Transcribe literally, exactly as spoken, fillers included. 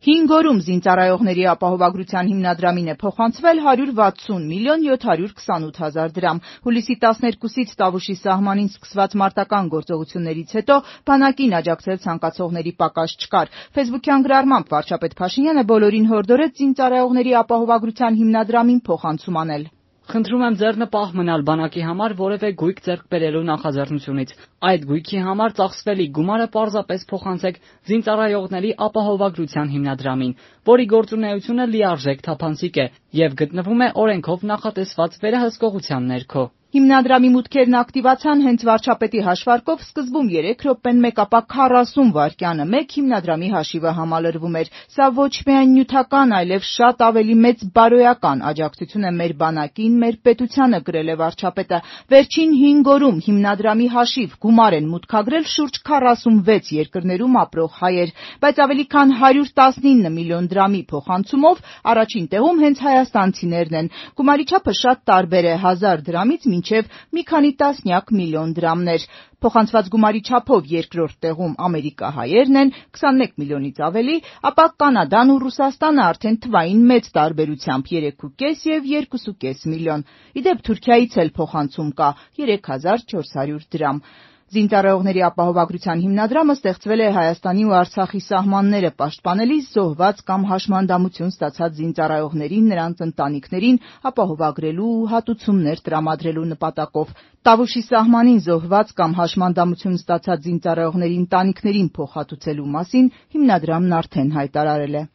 Հինգ օրում զինծառայողների ապահովագրության հիմնադրամին է փոխանցվել հարյուր վաթսուն միլիոն յոթ հարյուր քսանութ հազար դրամ։ Հուլիսի տասներկուսից Տավուշի սահմանին սկսված մարտական գործողություններից հետո բանակին աջակցել ցանկացողների պակաս չկար։ Ֆեյսբուքյան գրառմամբ վարչապետ Փաշինյանը բոլորին հորդորեց զինծառայողների ապահովագրության հիմնադրամին փոխանցում անել։ Խնդրում եմ ձեռնպահ մնալ բանակի համար որևէ գույք ձեռք բերելու նախաձեռնությունից։ Այդ գույքի համար ծախսվելիք գումարը պարզապես փոխանցեք զինծառայողների ապահովագրության հիմնադրամին, որի գործունեությունը լիարժեք թափանցիկ է և գտնվում է օրենքով նախատեսված վերահսկողության ներքո։ Հիմնադրամի մուտքերն ակտիվացան հենց վարչապետի հաշվարկով սկզբում երեք րոպեն մեկ, ապա քառասուն վայրկյանը մեկ հիմնադրամի հաշիվը համալրվում էր։ Սա ոչ միայն նյութական, այլև շատ ավելի մեծ բարոյական աջակցություն է մեր բանակին, մեր պետությանը, գրել է վարչապետը։ Վերջին հինգ օրում հիմնադրամի հաշիվ գումար են մուտքագրել շուրջ քառասունվեց երկրներում ապրող հայեր, բայց ավելի քան հարյուր տասնինը միլիոն դրամի փոխանցումով առաջին տեղում հենց հայաստանցիներն են։ Գումարի չափը շատ տարբեր է՝ հազար դրամից մինչև մի քանի տասնյակ միլիոն դրամներ։ Փոխանցված գումարի չափով երկրորդ տեղում ամերիկահայերն են՝ քսանմեկ միլիոնից ավելի, ապա Կանադան ու Ռուսաստանը արդեն թվային մեծ տարբերությամբ երեքուկես և երկուսուկես միլիոն։ Ի դեպ Թուրքիայից էլ փոխանցում կա՝ երեք հազար չորս հարյուր դրամ։ Զինծառայողների ապահովագրության հիմնադրամը ստեղծվել է Հայաստանի ու Արցախի սահմանները պաշտպանելիս զոհված կամ հաշմանդամություն ստացած զինծառայողներին, նրանց ընտանիքներին ապահովագրելու ու հատուցումներ տրամադրելու նպատակով։ Տավուշի սահմանին զոհված կամ հաշմանդամություն ստացած զինծառայողների ընտանիքներին փոխհատուցելու մասին հիմնադրամն արդեն հայտարարել է։